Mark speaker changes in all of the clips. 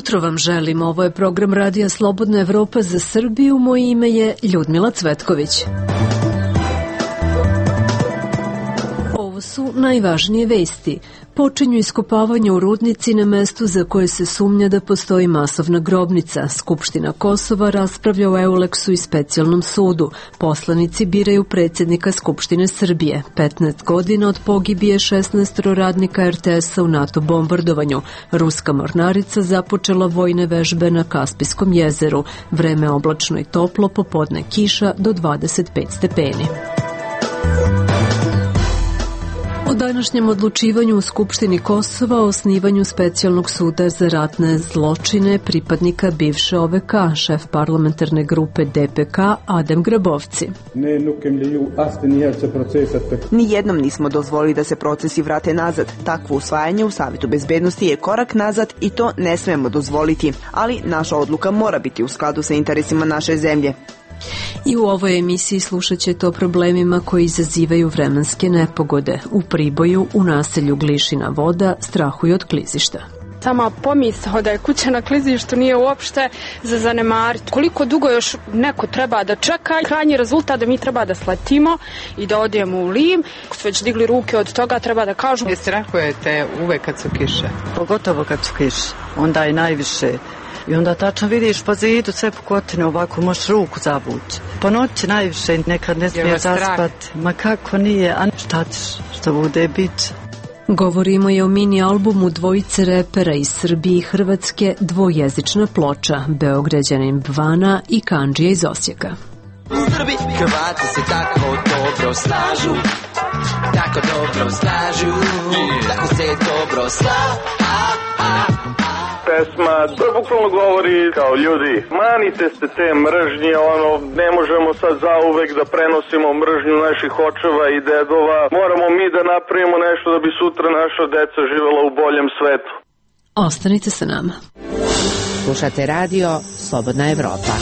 Speaker 1: jutro vam želim. Ovo je program Radija Slobodna Evropa za Srbiju. Moje ime je Ljudmila Cvetković. Ovo su najvažnije vesti. Počinju iskopavanje u rudnici na mestu za koje se sumnja da postoji masovna grobnica. Skupština Kosova raspravlja o Euleksu i specijalnom sudu. Poslanici biraju predsjednika Skupštine Srbije. 15 godina od pogibije 16 radnika RTS-a u NATO bombardovanju. Ruska mornarica započela vojne vežbe na Kaspijskom jezeru. Vreme oblačno i toplo, popodne kiša do 25 stepeni. O današnjem odlučivanju u Skupštini Kosova o osnivanju specijalnog suda za ratne zločine pripadnika bivše OVK, šef parlamentarne grupe DPK Adem Grabovci.
Speaker 2: Nijednom nismo dozvolili da se procesi vrate nazad. Takvo usvajanje u Savetu bezbednosti je korak nazad i to ne smemo dozvoliti, ali naša odluka mora biti u skladu sa interesima naše zemlje.
Speaker 1: I u ovoj emisiji slušat ćete o problemima koji izazivaju vremenske nepogode. U Priboju, u naselju Glišina voda, strahuju od klizišta.
Speaker 3: Sama pomisao da je kuća na klizištu nije uopšte za zanemariti. Koliko dugo još neko treba da čeka, krajnji rezultat da mi treba da sletimo i da odemo u Lim. Ako su već digli ruke od toga, treba da kažu.
Speaker 4: Ne strahujete uvek kad su kiše?
Speaker 5: Pogotovo kad su kiše, onda je najviše. I onda tačno vidiš po zidu sve pukotine, ovako možeš ruku zavući. Po noći najviše, nekad ne smije zaspati. Ma kako nije, a šta ćeš, što bude bit.
Speaker 1: Govorimo je o mini albumu dvojice repera iz Srbije i Hrvatske, dvojezična ploča, Beograđanin Bvana i Kandžija iz Osijeka.
Speaker 6: Srbi, Hrvati se tako dobro slažu, tako dobro slažu, tako se dobro
Speaker 7: pesma, to bukvalno govori kao ljudi, manite se te mržnje, ne možemo sad zauvek da prenosimo mržnju naših očeva i dedova, moramo mi da napravimo nešto da bi sutra naša deca živela u boljem svetu.
Speaker 1: Ostanite sa nama.
Speaker 8: Slušate radio Slobodna Evropa.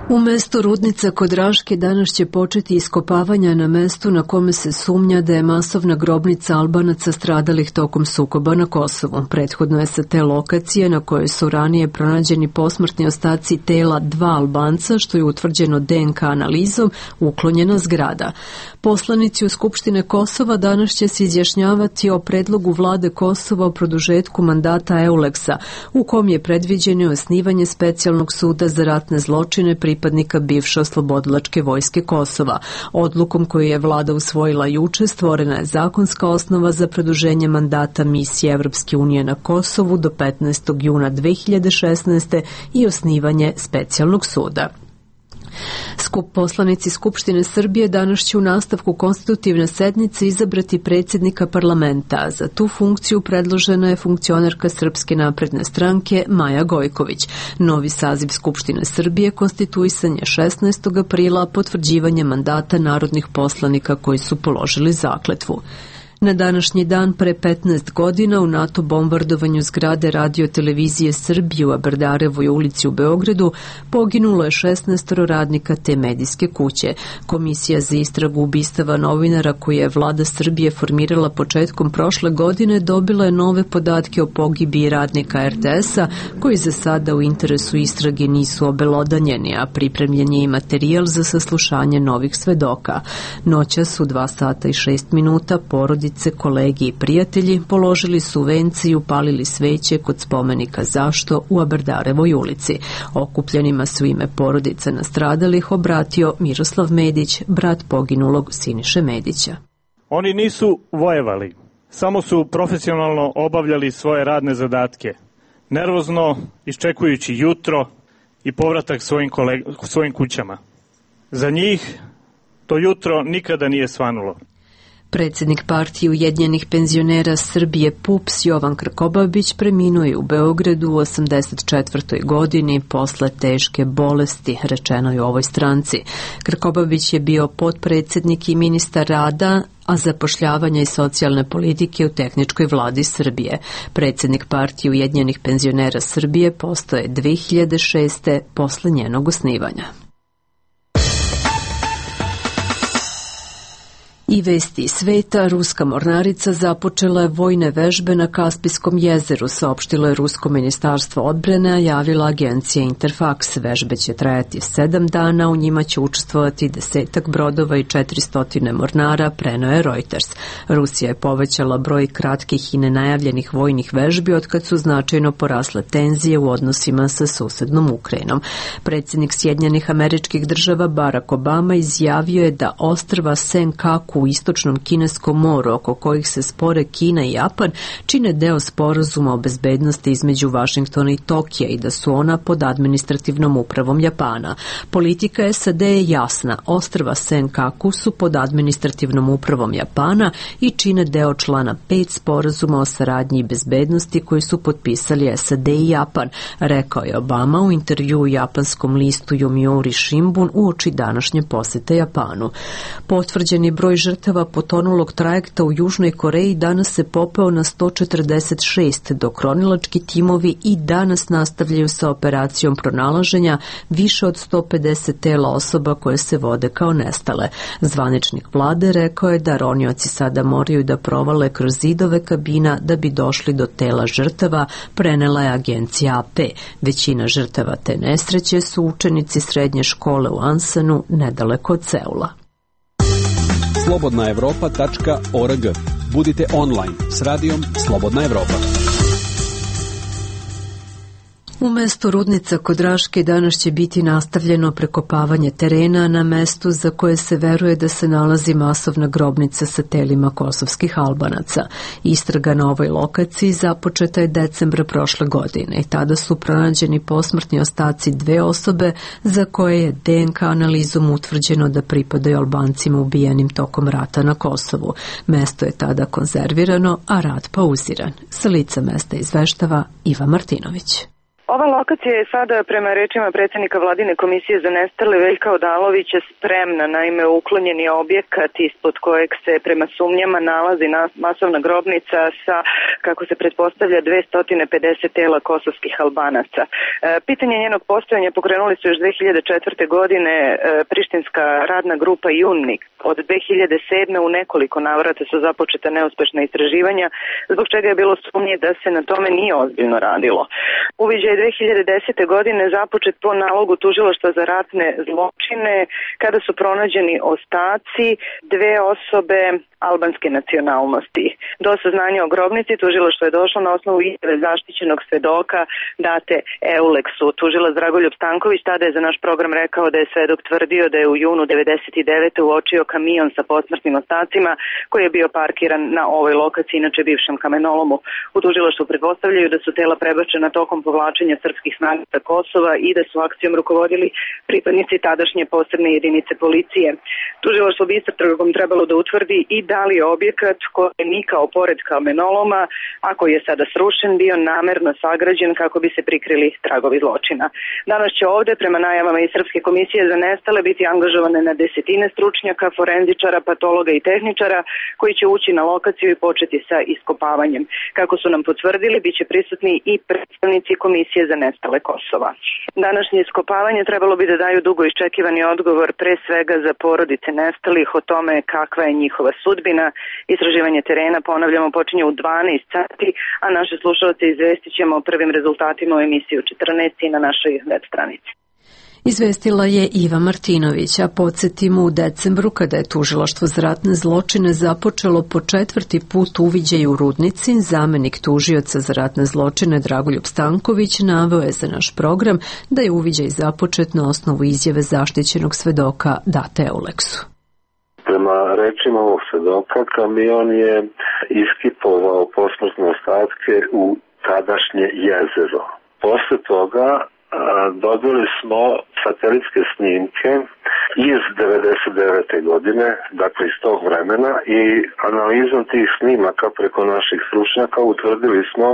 Speaker 1: U mestu Rudnica kod Raške danas će početi iskopavanja na mestu na kome se sumnja da je masovna grobnica Albanaca stradalih tokom sukoba na Kosovu. Prethodno je sa te lokacije na kojoj su ranije pronađeni posmrtni ostaci tela 2 Albanca, što je utvrđeno DNK analizom, uklonjena zgrada. Poslanici u Skupštine Kosova danas će se izjašnjavati o predlogu vlade Kosova o produžetku mandata Euleksa, u kom je predviđeno osnivanje specijalnog suda za ratne zločine pripadnika bivše oslobodilačke vojske Kosova. Odlukom koju je vlada usvojila juče stvorena je zakonska osnova za produženje mandata misije Evropske unije na Kosovu do 15. juna 2016. i osnivanje specijalnog suda. Poslanici Skupštine Srbije danas će u nastavku konstitutivne sednice izabrati predsjednika parlamenta. Za tu funkciju predložena je funkcionerka Srpske napredne stranke Maja Gojković. Novi saziv Skupštine Srbije konstituisan je 16. aprila potvrđivanjem mandata narodnih poslanika koji su položili zakletvu. Na današnji dan pre 15 godina u NATO bombardovanju zgrade Radio televizije Srbije u Aberdarevoj ulici u Beogradu poginulo je 16 radnika te medijske kuće. Komisija za istragu ubistava novinara koju je vlada Srbije formirala početkom prošle godine dobila je nove podatke o pogibiji radnika RTS-a koji za sada u interesu istrage nisu obelodanjeni, a pripremljen je i materijal za saslušanje novih svedoka. Noćas u 2 sata i 6 minuta porodice, kolegi i prijatelji položili su vence i upalili sveće kod spomenika Zašto u Aberdarevoj ulici. Okupljenima su ime porodica nastradalih obratio Miroslav Medić, brat poginulog Siniše Medića.
Speaker 9: Oni nisu vojevali, samo su profesionalno obavljali svoje radne zadatke, nervozno iščekujući jutro i povratak svojim kućama. Za njih to jutro nikada nije svanulo.
Speaker 1: Predsjednik partije Ujedinjenih penzionera Srbije PUPS Jovan Krkobabić preminuo je u Beogradu u 84. godini posle teške bolesti, rečeno je u ovoj stranci. Krkobabić je bio potpredsjednik i ministar rada, a zapošljavanja i socijalne politike u tehničkoj vladi Srbije. Predsjednik partije Ujedinjenih penzionera Srbije postao je 2006. posle njenog osnivanja. I vesti iz sveta, ruska mornarica započela je vojne vežbe na Kaspijskom jezeru, saopštilo je Rusko ministarstvo odbrane, a javila agencija Interfax. Vežbe će trajati 7 dana, u njima će učestvovati 10 brodova i 400 mornara, preneo je Reuters. Rusija je povećala broj kratkih i nenajavljenih vojnih vežbi otkad su značajno porasle tenzije u odnosima sa susednom Ukrajinom. Predsjednik Sjedinjenih Američkih Država Barack Obama izjavio je da ostrva Senkaku u istočnom Kineskom moru, oko kojih se spore Kina i Japan, čine deo sporazuma o bezbednosti između Vašingtona i Tokija i da su ona pod administrativnom upravom Japana. Politika SAD je jasna, ostrva Senkaku su pod administrativnom upravom Japana i čine deo člana 5 sporazuma o saradnji i bezbednosti koji su potpisali SAD i Japan, rekao je Obama u intervju u japanskom listu Yomiuri Shimbun uoči današnje posete Japanu. Potvrđeni broj žrtava potonulog trajekta u Južnoj Koreji danas se popeo na 146, dok ronilački timovi i danas nastavljaju sa operacijom pronalaženja više od 150 tela osoba koje se vode kao nestale. Zvaničnik vlade rekao je da ronioci sada moraju da provale kroz zidove kabina da bi došli do tela žrtava, prenela je agencija AP. Većina žrtava te nesreće su učenici srednje škole u Ansanu, nedaleko od Seula.
Speaker 10: slobodnaevropa.org. Budite online s radijom Slobodna Evropa.
Speaker 1: U mestu rudnica kod Raške danas će biti nastavljeno prekopavanje terena na mestu za koje se veruje da se nalazi masovna grobnica sa telima kosovskih Albanaca. Istraga na ovoj lokaciji započeta je decembra prošle godine i tada su pronađeni posmrtni ostaci 2 osobe za koje je DNK analizom utvrđeno da pripadaju Albancima ubijenim tokom rata na Kosovu. Mesto je tada konzervirano, a rad pauziran. Sa lica mesta izveštava Iva Martinović.
Speaker 11: Ova lokacija je sada, prema rečima predsjednika Vladine komisije za nestale Veljka Odalovića, spremna. Naime, uklonjen je objekat ispod kojeg se prema sumnjama nalazi masovna grobnica sa, kako se pretpostavlja, 250 tela kosovskih Albanaca. Pitanje njenog postojanja pokrenuli su još 2004. godine prištinska radna grupa Junnik. Od 2007. u nekoliko navrata su započeta neuspešna istraživanja, zbog čega je bilo sumnje da se na tome nije ozbiljno radilo. Uviđaj 2010. godine započet po nalogu tužilaštva za ratne zločine kada su pronađeni ostaci 2 osobe albanske nacionalnosti. Do saznanja o grobnici tužilaštvo je došlo na osnovu izjave zaštićenog svedoka date Euleksu. Tužilac Dragoljub Stanković tada je za naš program rekao da je svedok tvrdio da je u junu 1999. uočio kamion sa posmrtnim ostacima koji je bio parkiran na ovoj lokaciji, inače bivšem kamenolomu. U tužilaštvu pretpostavljaju da su tela prebačena tokom povlačenja srpskih snaga sa Kosova i da su akcijom rukovodili pripadnici tadašnje posebne jedinice policije. Tužilaštvo bi istragom trebalo da utvrdi i da li je objekat koji je nikao pored kamenoloma, a koji je sada srušen, bio namerno sagrađen kako bi se prikrili tragovi zločina. Danas će ovde, prema najavama iz Srpske komisije za nestale, biti angažovane na desetine stručnjaka, forenzičara, patologa i tehničara koji će ući na lokaciju i početi sa iskopavanjem. Kako su nam potvrdili, bit će prisutni i predstavnici Komisije za nestale Kosova. Današnje iskopavanje trebalo bi da daju dugo iščekivani odgovor pre svega za porodice nestalih o tome kakva je njihova sudbina. Istraživanje terena, ponavljamo, počinje u 12 sati, a naše slušalce izvestit ćemo o prvim rezultatima u emisiji u 14 i na našoj web stranici.
Speaker 1: Izvestila je Iva Martinović, a podsjetimo u decembru kada je tužilaštvo za ratne zločine započelo po 4. put uviđaj u Rudnici, zamenik tužioca za ratne zločine Dragoljub Stanković naveo je za naš program da je uviđaj započet na osnovu izjave zaštićenog svedoka date Euleksu.
Speaker 12: Prema rečima ovog svedoka, kamion je iskipovao posmrtne ostatke u tadašnje jezero. Posle toga dobili smo satelitske snimke iz 99. godine, dakle iz tog vremena, i analizom tih snimaka preko naših stručnjaka utvrdili smo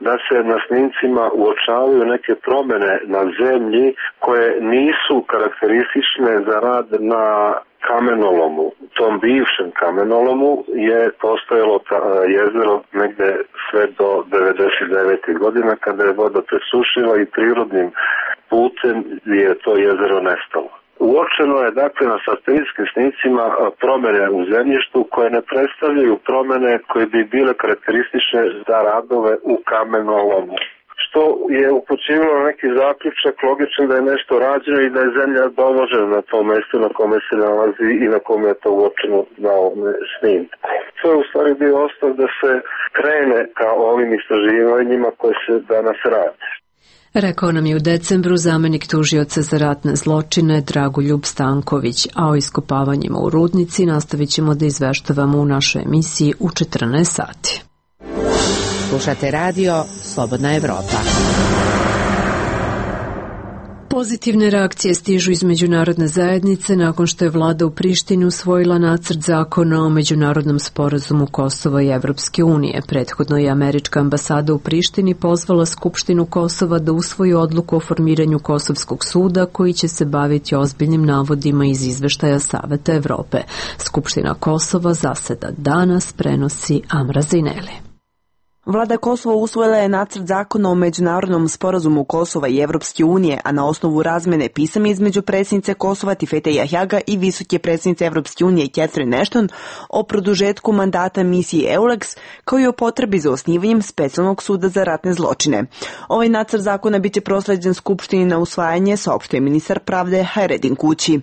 Speaker 12: da se na snimcima uočavaju neke promene na zemlji koje nisu karakteristične za rad na kamenolomu. U tom bivšem kamenolomu je postojalo jezero negde sve do 99. godina kada je voda presušila i prirodnim putem je to jezero nestalo. Uočeno je dakle na satelitskim snicima promjene u zemljištu koje ne predstavljaju promjene koje bi bile karakteristične za radove u kamenolomu. Što je upućivalo neki zaključak logičan da je nešto rađeno i da je zemlja doložena na tom mjestu na kome se nalazi i na kome je to uočeno na ovome snimku. To je u stvari bio osnov da se krene ka ovim istraživanjima koje se danas radi.
Speaker 1: Rekao nam je u decembru zamenik tužioca za ratne zločine Dragoljub Stanković, a o iskopavanjima u rudnici nastavit ćemo da izveštavamo u našoj emisiji u 14 sati.
Speaker 8: Slušate radio Slobodna Evropa.
Speaker 1: Pozitivne reakcije stižu iz međunarodne zajednice nakon što je vlada u Prištini usvojila nacrt zakona o međunarodnom sporazumu Kosova i Evropske unije. Prethodno je američka ambasada u Prištini pozvala Skupštinu Kosova da usvoji odluku o formiranju Kosovskog suda koji će se baviti ozbiljnim navodima iz izveštaja Saveta Evrope. Skupština Kosova zaseda danas, prenosi Amra Zineli.
Speaker 2: Vlada Kosova usvojila je nacrt zakona o međunarodnom sporazumu Kosova i Evropske unije, a na osnovu razmene pisama između predsjednice Kosova Tifete Jahjaga i visoke predsjednice Evropske unije Catherine Ashton o produžetku mandata misiji EULEX, kao i o potrebi za osnivanjem specijalnog suda za ratne zločine. Ovaj nacrt zakona biće prosleđen Skupštini na usvajanje, saopštuje ministar pravde Hayreddin Kući.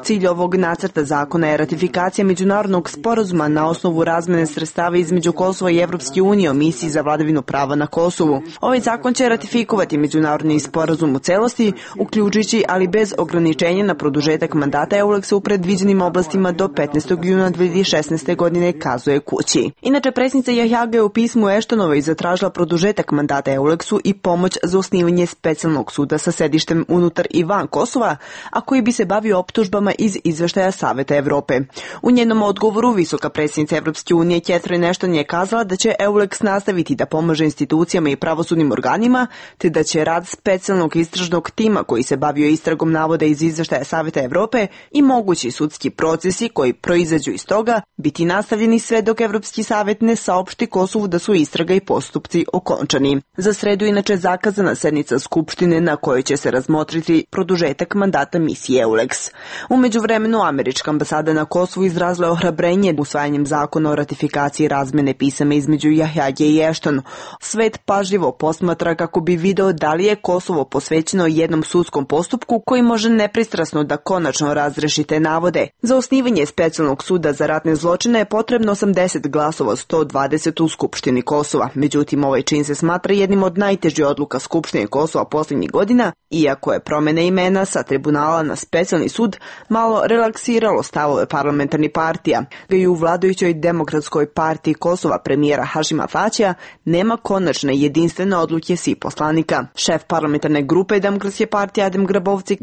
Speaker 2: Cilj ovog nacrta zakona je ratifikacija međunarodnog sporazuma na osnovu razmene sredstava između Kosova i Evropske unije o misiji za vladavinu prava na Kosovu. Ovaj zakon će ratifikovati međunarodni sporazum u celosti, uključujući ali bez ograničenja na produžetak mandata EULEX-a u predviđenim oblastima do 15. juna 2016. godine, kazuje Kući. Inače, predsjednica Jahjaga je u pismu Ashtonovoj zatražila produžetak mandata EULEX-u i pomoć za osnivanje specijalnog suda sa sedištem unutar i van Kosova, a koji bi se bavio optužbama iz izveštaja Saveta Evrope. U njenom odgovoru visoka predsjednica Evropske unije Catherine Ashton je kazala da će EULEX nastaviti da pomaže institucijama i pravosudnim organima, te da će rad specijalnog istražnog tima koji se bavio istragom navoda iz izveštaja Saveta Evrope i mogući sudski procesi koji proizađu iz toga biti nastavljeni sve dok Evropski savet ne saopšti Kosovu da su istraga i postupci okončani. Za sredu inače zakazana sednica Skupštine na kojoj će se razmotriti produžetak mandata misije EULEX. U međuvremenu američka ambasada na Kosovu izrazila je ohrabrenje usvajanjem zakona o ratifikaciji razmene pisama između Jahjage i Ashton. Svet pažljivo posmatra kako bi video da li je Kosovo posvećeno jednom sudskom postupku koji može nepristrasno da konačno razreši te navode. Za osnivanje specijalnog suda za ratne zločine je potrebno 80 glasova, 120 u Skupštini Kosova. Međutim, ovaj čin se smatra jednim od najtežih odluka Skupštine Kosova posljednjih godina, iako je promjena imena sa tribunala na specijalni sud malo relaksiralo stavove parlamentarnih partija. I u vladajućoj Demokratskoj partiji Kosova premijera Hašima Tačija nema konačne jedinstvene odluke svih poslanika. Šef parlamentarne grupe Demokratske partije Adem Grabovci: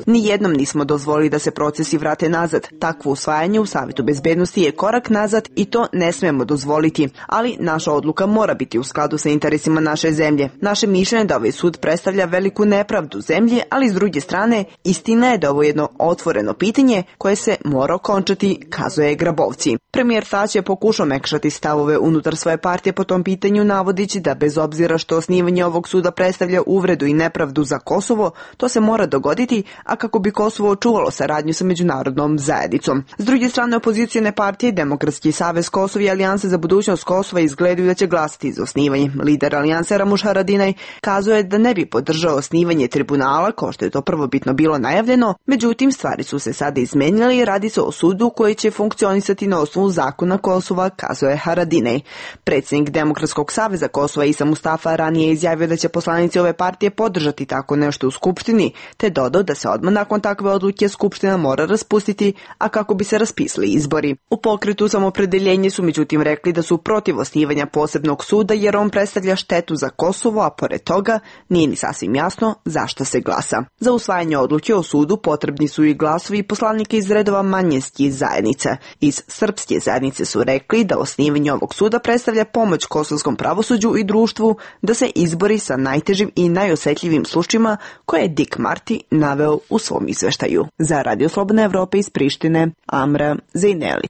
Speaker 2: Nijednom nismo dozvolili da se procesi vrate nazad. Takvo usvajanje u Savetu bezbednosti je korak nazad i to ne smemo dozvoliti. Ali naša odluka mora biti u skladu sa interesima naše zemlje. Naše mišljenje da ovaj sud predstavlja veliku nepravdu zemlje, ali s druge strane istina je da ovo jedno otvoreno pitanje koje se mora okončati, kazuje Grabovci. Premijer Tač je pokušao mekšati stavove unutar svoje partije po tom pitanju, navodići da bez obzira što osnivanje ovog suda predstavlja uvredu i nepravdu za Kosovo, to se mora dogoditi, a kako bi Kosovo očuvalo saradnju sa međunarodnom zajednicom. S druge strane, opozicione partije Demokratski savez Kosova i Alijanse za budućnost Kosova izgledaju da će glasati za osnivanje. Lider Alijanse Ramuš Haradinaj kazuje da ne bi podržao osnivanje tribunala, kao što je to prvobitno bilo najavljeno, međutim stvari su se sada izmenile i radi se o sudu koji će funkcionisati na osnovu zakona Kosova, kazuje Haradinaj. Predsjednik Demokratskog saveza Kosova Isa Mustafa ranije izjavio da će poslanici ove partije podržati tako nešto u Skupštini, te dodao da se odmah nakon takve odluke Skupština mora raspustiti, a kako bi se raspisali izbori. U pokretu Samopredeljenje su međutim rekli da su protiv osnivanja posebnog suda jer on predstavlja štetu za Kosovo, a pored toga nije ni sasvim jasno zašto se glasa. Za usvajanje odluke o sudu potrebni su i glasovi poslanika iz redova manjinskih zajednica. Iz srpske zajednice su rekli da osnivanje ovog suda predstavlja pomoć kosovskom pravosuđu i društvu da se izbori sa najtežim i najosetljivim slučajima koje je Dick Marty naveo u svom izveštaju. Za Radio Slobodna Evropa iz Prištine, Amra Zineli.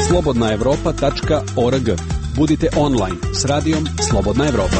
Speaker 10: slobodnaevropa.org. Budite online s radijom Slobodna Evropa.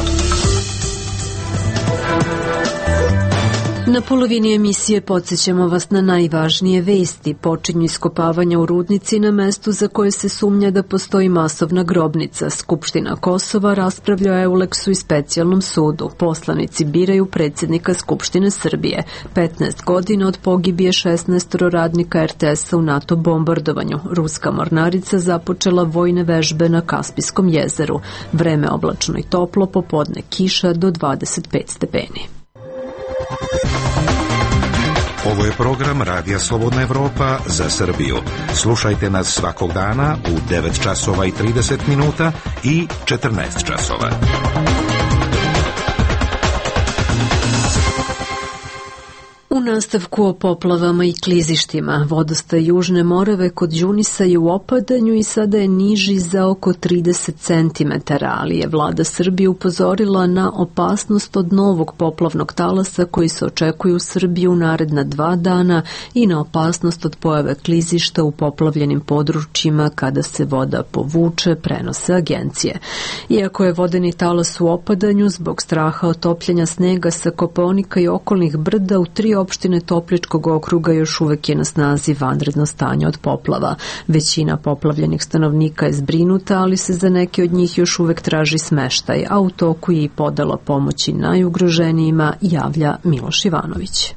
Speaker 1: Na polovini emisije podsjećamo vas na najvažnije vesti. Počinju iskopavanja u rudnici na mestu za koje se sumnja da postoji masovna grobnica. Skupština Kosova raspravlja o Euleksu i specijalnom sudu. Poslanici biraju predsjednika Skupštine Srbije. 15 godina od pogibije 16 radnika RTS-a u NATO bombardovanju. Ruska mornarica započela vojne vežbe na Kaspijskom jezeru. Vreme oblačno i toplo, popodne kiša do 25 stepeni.
Speaker 13: Ovo je program Radija Slobodna Evropa za Srbiju. Slušajte nas svakog dana u 9 časova i 30 minuta i 14 časova.
Speaker 1: U nastavku o poplavama i klizištima, vodostaj Južne Morave kod Đunisa je u opadanju i sada je niži za oko 30 cm, ali je vlada Srbije upozorila na opasnost od novog poplavnog talasa koji se očekuje u Srbiji u naredna 2 dana i na opasnost od pojave klizišta u poplavljenim područjima kada se voda povuče, prenose agencije. Iako je vodeni talas u opadanju, zbog straha od topljenja snega sa Kopaonika i okolnih brda u 3 opštine Topličkog okruga još uvek je na snazi vanredno stanje od poplava. Većina poplavljenih stanovnika je zbrinuta, ali se za neke od njih još uvek traži smeštaj, a u toku je i podela pomoći najugroženijima, javlja Miloš Ivanović.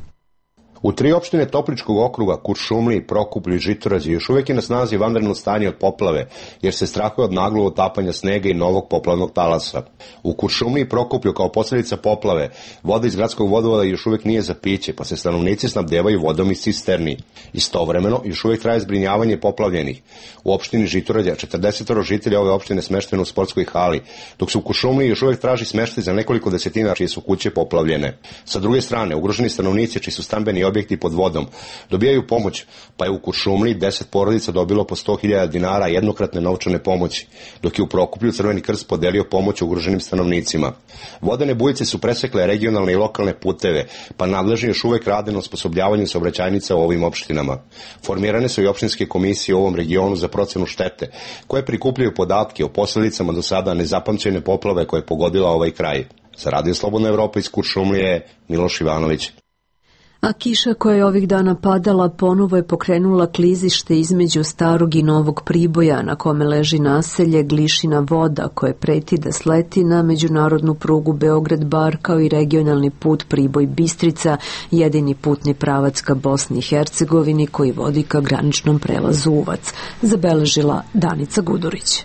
Speaker 14: U 3 opštine Topličkog okruga, Kuršumliji, Prokuplju i Žitorađi još uvijek je na snazi vanredno stanje od poplave, jer se strahuje od naglog otapanja snega i novog poplavnog talasa. U Kuršumliji i Prokuplju kao posljedica poplave, voda iz gradskog vodovoda još uvijek nije za piće, pa se stanovnici snabdevaju vodom iz cisterni. Istovremeno, još uvijek traje zbrinjavanje poplavljenih. U opštini Žitorađa 40 žitelja ove opštine smešteno u sportskoj hali, dok se u Kuršumliji još uvijek traži smeštaj za nekoliko desetina čije su kuće poplavljene. Sa druge strane, ugroženi stanovnici čiji su stambeni objekti pod vodom dobijaju pomoć, pa je u Kuršumliji 10 porodica dobilo po 100.000 dinara jednokratne novčane pomoći, dok je u Prokuplju Crveni krst podelio pomoć ugroženim stanovnicima. Vodene bujice su presekle regionalne i lokalne puteve, pa nadležni još uvek rade na osposobljavanju saobraćajnica u ovim opštinama. Formirane su i opštinske komisije u ovom regionu za procenu štete, koje prikupljaju podatke o posljedicama do sada nezapamćene poplave koje je pogodila ovaj kraj. Za Radio Slobodna Evropa iz Kuršumlije, Miloš Ivanović.
Speaker 1: A kiša koja je ovih dana padala ponovo je pokrenula klizište između Starog i Novog Priboja, na kome leži naselje Glišina Voda, koje preti da sleti na međunarodnu prugu Beograd-Bar, kao i regionalni put Priboj-Bistrica, jedini putni pravac ka Bosni i Hercegovini koji vodi ka graničnom prelazu Uvac, zabeležila Danica Gudurić.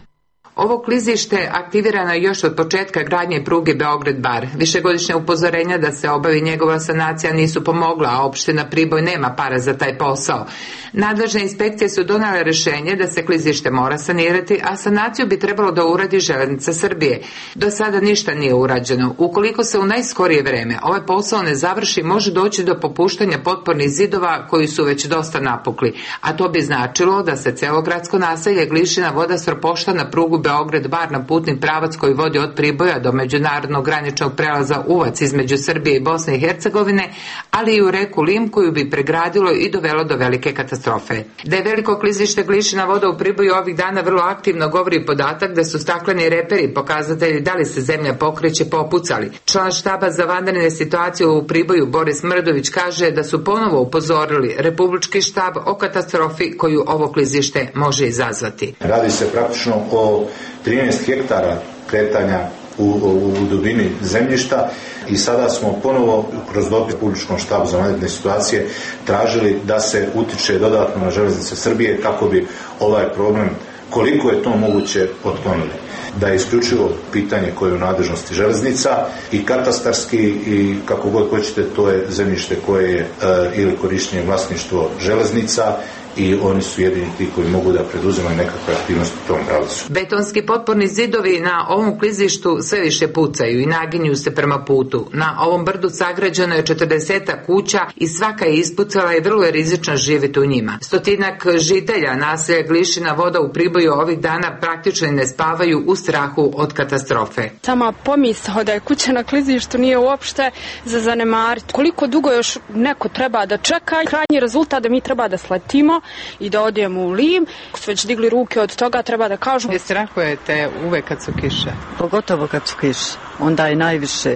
Speaker 4: Ovo klizište aktivirano je još od početka gradnje pruge Beograd-Bar. Višegodišnja upozorenja da se obavi njegova sanacija nisu pomogla, a opština Priboj nema para za taj posao. Nadležne inspekcije su donale rešenje da se klizište mora sanirati, a sanaciju bi trebalo da uradi Železnica Srbije. Do sada ništa nije urađeno. Ukoliko se u najskorije vreme ovaj posao ne završi, može doći do popuštanja potpornih zidova koji su već dosta napukli, a to bi značilo da se celo gradsko naselje Glišina Voda sropošta na prugu Beograd-Bar, na putni pravac koji vodi od Priboja do međunarodnog graničnog prelaza Uvac između Srbije i Bosne i Hercegovine, ali i u reku Lim koju bi pregradilo i dovelo do velike katastrofe. Da je veliko klizište Glišina Voda u Priboju ovih dana vrlo aktivno govori podatak da su stakleni reperi pokazatelji da li se zemlja pokreće popucali. Član štaba za vanredne situacije u Priboju Boris Mrdović kaže da su ponovo upozorili Republički štab o katastrofi koju ovo klizište može izazvati.
Speaker 15: Radi se praktično o 13 hektara kretanja u dubini zemljišta i sada smo ponovo kroz dopis Republičkom štabu za vanredne situacije tražili da se utiče dodatno na Železnice Srbije kako bi ovaj problem, koliko je to moguće, otklonili. Da je isključivo pitanje koje je u nadležnosti železnica i katastarski i kako god hoćete, to je zemljište koje je ili korištenje vlasništvo železnica i oni su jedini ti koji mogu da preduzimaju nekakve aktivnosti u tom pravcu.
Speaker 4: Betonski potporni zidovi na ovom klizištu sve više pucaju i naginju se prema putu. Na ovom brdu sagrađeno je 40 kuća i svaka je ispucala i vrlo je rizično živjeti u njima. 100 žitelja naselja Glišina Voda u Priboju ovih dana praktično ne spavaju u strahu od katastrofe.
Speaker 3: Sama pomisao da je kuća na klizištu nije uopšte za zanemariti. Koliko dugo još neko treba da čeka, krajnji rezultat da mi treba da sletimo i da odijemo u Lim. Ako su već digli ruke od toga, treba da kažu.
Speaker 4: Ne strahujete uvek kad su kiše?
Speaker 5: Pogotovo kad su kiše. Onda je najviše.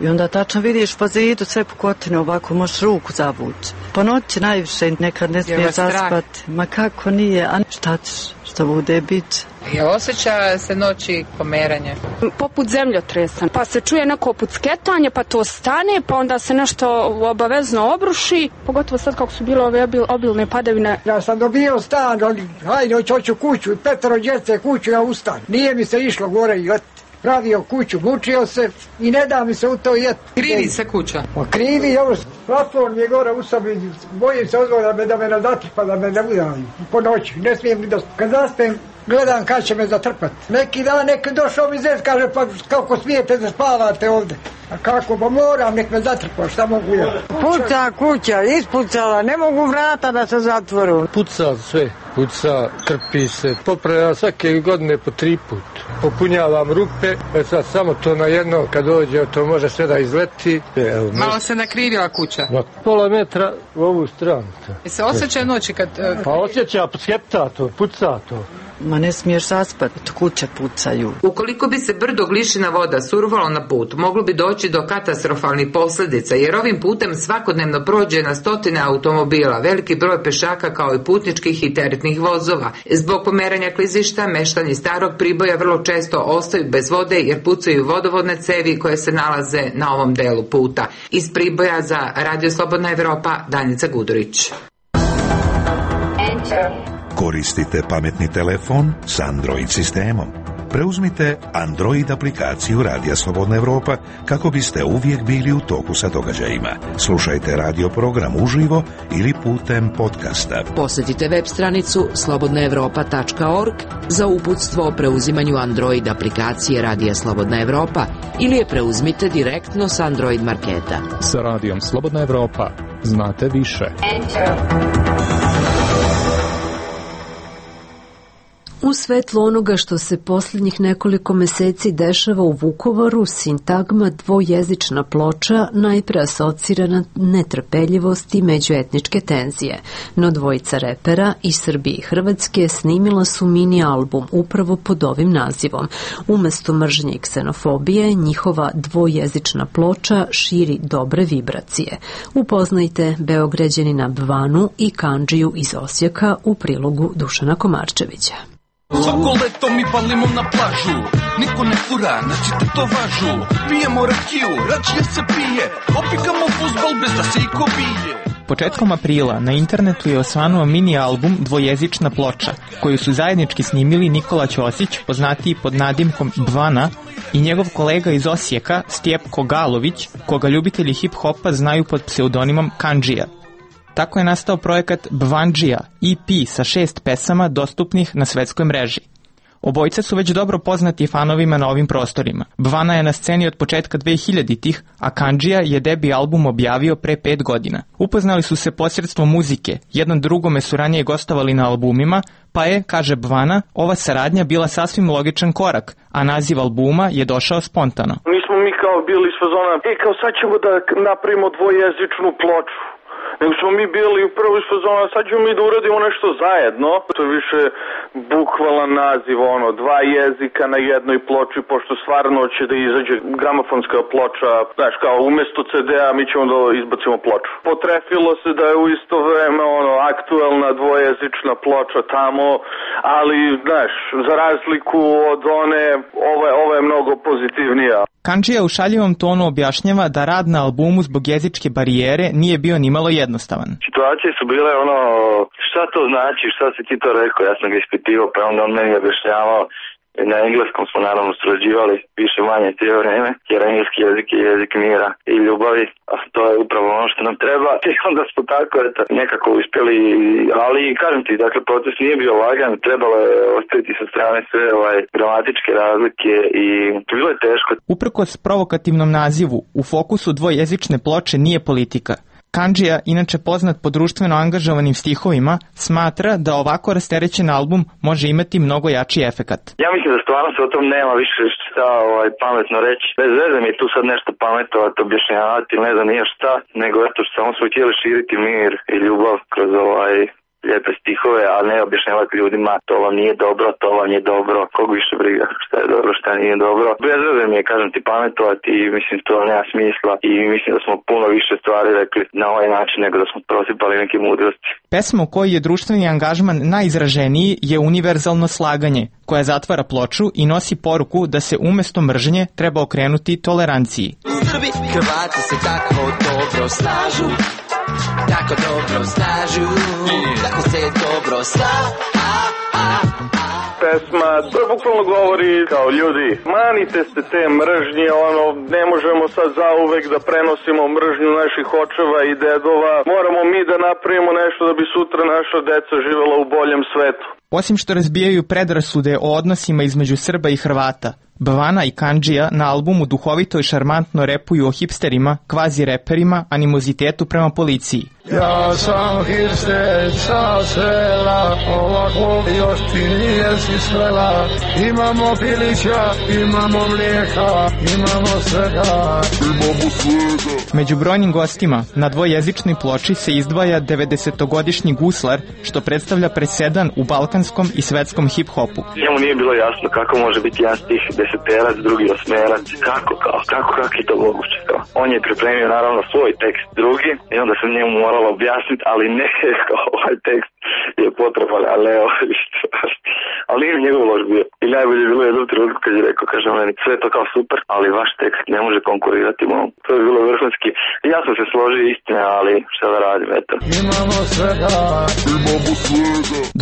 Speaker 5: I onda tačno vidiš po zidu sve pukotine, ovako možeš ruku zavući. Po noći najviše nekad ne smiješ zaspati. Ma kako nije, a šta ćeš, što bude bit.
Speaker 4: Je osjeća se noći pomeranje?
Speaker 3: Poput zemljotresa, pa se čuje neko pucketanje, pa to stane, pa onda se nešto obavezno obruši, pogotovo sad kako su bile ove obilne padavine.
Speaker 16: Ja sam dobio stan, hajde, hoću kuću, 5 djece kuću, ja ustan. Nije mi se išlo gore i pravio kuću, mučio se i ne da mi se u to jeti.
Speaker 4: Krivi se kuća?
Speaker 16: Pa krivi, ovo, plafon mi je gore u sobi, bojim se odvoda da me nazatrpa, da me ne udaju po noći, ne smijem ni da... Kad zaspem, gledam kad će me zatrpati. Neki dan neki došao mi zez, kaže, pa kako smijete da spavate ovde? A kako, pa moram, nek me zatrpa, šta mogu ja?
Speaker 17: Puca kuća, ispucala, ne mogu vrata da se zatvoru.
Speaker 18: Puca sve, puca, trpi se, popravljam svake godine po 3 put. Popunjavam rupe, sad samo to na jedno, kad dođe, to može sve da izleti.
Speaker 4: Evo, malo se nakrivila kuća?
Speaker 18: Na pola metra u ovu stranu.
Speaker 4: Se osjeća noći kad...
Speaker 18: Pa osjeća, skepta to, puca to.
Speaker 5: Ma ne smiješ zaspati, kuće pucaju.
Speaker 4: Ukoliko bi se brdo Glišina voda survalo na put, moglo bi doći do katastrofalnih posljedica, jer ovim putem svakodnevno prođe na stotine automobila, veliki broj pešaka kao i putničkih i teretnih vozova. Zbog pomeranja klizišta, meštani Starog Priboja vrlo često ostaju bez vode jer pucaju vodovodne cevi koje se nalaze na ovom delu puta. Iz Priboja za Radio Slobodna Evropa, Danica Gudurić.
Speaker 13: Koristite pametni telefon s Android sistemom. Preuzmite Android aplikaciju Radija Slobodna Evropa kako biste uvijek bili u toku sa događajima. Slušajte radio program uživo ili putem podcasta.
Speaker 8: Posjetite web stranicu slobodnaevropa.org za uputstvo o preuzimanju Android aplikacije Radija Slobodna Evropa ili je preuzmite direktno s Android marketa.
Speaker 19: Sa Radijom Slobodna Evropa znate više.
Speaker 1: U svetlu onoga što se posljednjih nekoliko meseci dešava u Vukovaru, sintagma dvojezična ploča najpre asocira na netrpeljivost i međuetničke tenzije. No dvojica repera iz Srbije i Hrvatske snimila su mini album upravo pod ovim nazivom. Umesto mržnje i ksenofobije, njihova dvojezična ploča širi dobre vibracije. Upoznajte Beograđanina Bvanu i Kandžiju iz Osijeka u prilogu Dušana Komarčevića.
Speaker 20: Svako leto mi palimo na plažu, niko ne fura, naćite to važu. Pijemo rakiju, račije se pije, opikamo fuzbal bez da se iko bije.
Speaker 21: Početkom aprila na internetu je osvanuo mini album Dvojezična ploča, koju su zajednički snimili Nikola Ćosić, poznatiji pod nadimkom Bvana, i njegov kolega iz Osijeka, Stjepko Galović, koga ljubitelji hip-hopa znaju pod pseudonimom Kandžija. Tako je nastao projekat Bvandžija, EP sa 6 pesama dostupnih na svetskoj mreži. Obojica su već dobro poznati fanovima na ovim prostorima. Bvana je na sceni od početka 2000-ih, a Kandžija je debi album objavio pre 5 godina. Upoznali su se posredstvom muzike, jednom drugome su ranije gostovali na albumima, pa je, kaže Bvana, ova saradnja bila sasvim logičan korak, a naziv albuma je došao spontano.
Speaker 7: Nismo mi kao bili iz fazona, kao sad ćemo da napravimo dvojezičnu ploču. Nego smo mi bili upravo iz fazona, sad ćemo mi da uradimo nešto zajedno. To je više bukvalan naziv, dva jezika na jednoj ploči, pošto stvarno će da izađe gramofonska ploča, znaš, kao umjesto CD-a mi ćemo da izbacimo ploču. Potrefilo se da je u isto vreme aktuelna dvojezična ploča tamo, ali, znaš, za razliku od one, ova je mnogo pozitivnija.
Speaker 21: Kandžija u šaljivom tonu objašnjava da rad na albumu zbog jezičke barijere nije bio nimalo jednostavan.
Speaker 22: Situacije su bile šta to znači, šta si ti to rekao, ja sam ga ispitivao, pa onda on meni objašnjavao. Na engleskom smo naravno surađivali više manje cijelo vrijeme, jer engleski jezik je jezik mira i ljubavi, a to je upravo ono što nam treba. I onda smo tako nekako uspjeli, ali kažem ti, dakle proces nije bio lagan, trebalo je ostaviti sa strane sve gramatičke razlike i bilo je teško.
Speaker 21: Uprkos provokativnom nazivu, u fokusu dvojezične ploče nije politika. Kandžija, inače poznat po društveno angažovanim stihovima, smatra da ovako rasterećen album može imati mnogo jači efekat.
Speaker 22: Ja mislim da stvarno se o tom nema više šta pametno reći. Bez veze mi je tu sad nešto pametovati, objašnjavati, ne znam nije šta, nego eto što samo smo htjeli širiti mir i ljubav kroz lijepe stihove, a ne objašnjavati ljudima to vam nije dobro, to vam je dobro, kog više briga šta je dobro, šta nije dobro. Bez veze mi je, kažem ti, pametovati i mislim to nema smisla i mislim da smo puno više stvari rekli na ovaj način nego da smo prosipali neke mudrosti.
Speaker 21: Pesma u kojoj je društveni angažman najizraženiji je Univerzalno slaganje, koja zatvara ploču i nosi poruku da se umesto mržnje treba okrenuti toleranciji.
Speaker 6: Srbi, Hrvati se tako dobro slažu, tako dobro snažu, tako se dobro
Speaker 7: Pesma, to bukvalno govori kao ljudi, manite se te mržnje, ne možemo sad zauvek da prenosimo mržnju naših očeva i dedova, moramo mi da napravimo nešto da bi sutra naša deca živela u boljem svetu.
Speaker 21: Osim što razbijaju predrasude o odnosima između Srba i Hrvata, Bvana i Kandžija na albumu duhovito i šarmantno repuju o hipsterima, kvazi reperima, animozitetu prema policiji.
Speaker 18: Ja sam hipster sa sela, ovako još ti nije si svela. Imamo pilića, imamo mlijeka, imamo svega.
Speaker 21: Među brojnim gostima na dvojezičnoj ploči se izdvaja 90-godišnji guslar, što predstavlja presedan u balkanskom i svetskom hip-hopu.
Speaker 22: Njemu nije bilo jasno kako može biti jedan stih deseterac, drugi osmerac, kako je to moguće. On je pripremio naravno svoj tekst drugi i onda sam njemu moralo objasniti, ali ne, ovaj tekst je potreban, ali ne ali nije njegov loš bio. I najbolje je bilo jednom trenutku kad je rekao, kaže meni, sve je to kao super, ali vaš tekst ne može konkurirati mom. To je bilo vrhunski. I ja sam se složio istine, ali šta da radim, eto.
Speaker 18: Imamo svega.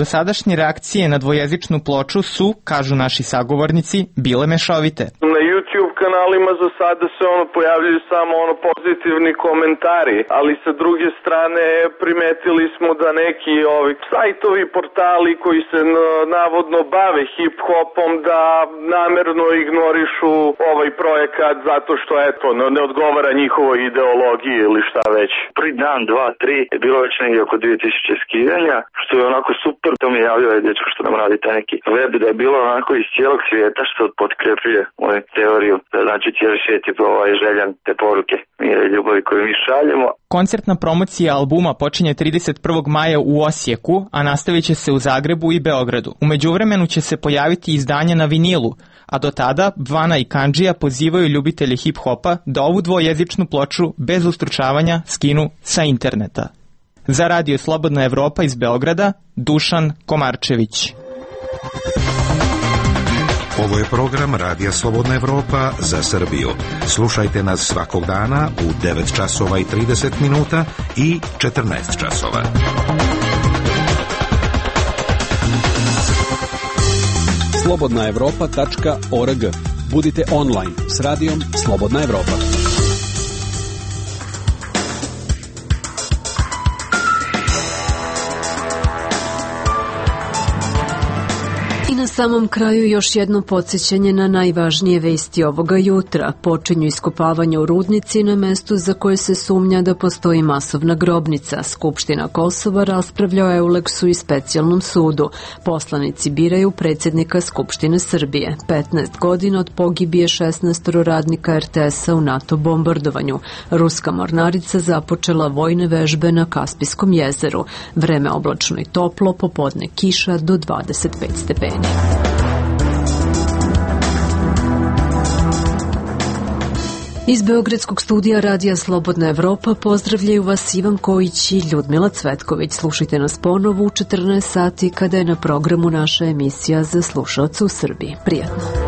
Speaker 21: Dosadašnje reakcije na dvojezičnu ploču su, kažu naši sagovornici, bile mešovite.
Speaker 7: Na YouTube kanalima za sada se pojavljaju samo pozitivni komentari, ali sa druge strane primetili smo da neki sajtovi, portali koji se navodno bave hip-hopom da namerno ignorišu ovaj projekat zato što ne odgovara njihovoj ideologiji ili šta već.
Speaker 22: Prvi dan, 2, 3 je bilo već negdje oko 2000 skidanja, što je onako super. To mi je javio ovaj dečko što nam radi taj neki web, da je bilo onako iz cijelog svijeta što potkrepljuje moju teoriju. Znači cijeli svijet je željan te poruke mira i ljubavi koju mi šaljemo.
Speaker 21: Koncertna promocija albuma počinje 31. maja u Osijeku, a nastavit će se u Zagrebu i Beogradu. U međuvremenu će se pojaviti izdanje na vinilu, a do tada Bvana i Kandžija pozivaju ljubitelje hip-hopa da ovu dvojezičnu ploču bez ustručavanja skinu sa interneta. Za Radio Slobodna Evropa iz Beograda, Dušan Komarčević.
Speaker 13: Ovo je program Radija Slobodna Evropa za Srbiju. Slušajte nas svakog dana u 9 časova i 30 minuta i 14 časova.
Speaker 10: slobodnaevropa.org. Budite online s radijom Slobodna Evropa.
Speaker 1: Na samom kraju još jedno podsjećanje na najvažnije vesti ovoga jutra. Počinju iskopavanja u rudnici na mestu za koje se sumnja da postoji masovna grobnica. Skupština Kosova raspravlja o Euleksu i specijalnom sudu. Poslanici biraju predsjednika Skupštine Srbije. 15 godina od pogibije 16 radnika RTS-a u NATO bombardovanju. Ruska mornarica započela vojne vežbe na Kaspijskom jezeru. Vreme oblačno i toplo, popodne kiša do 25 stepeni. Iz Beogradskog studija Radija Slobodna Evropa pozdravljaju vas Ivan Kojić i Ljudmila Cvetković. Slušajte nas ponovo u 14 sati kada je na programu naša emisija za slušaoce u Srbiji. Prijatno.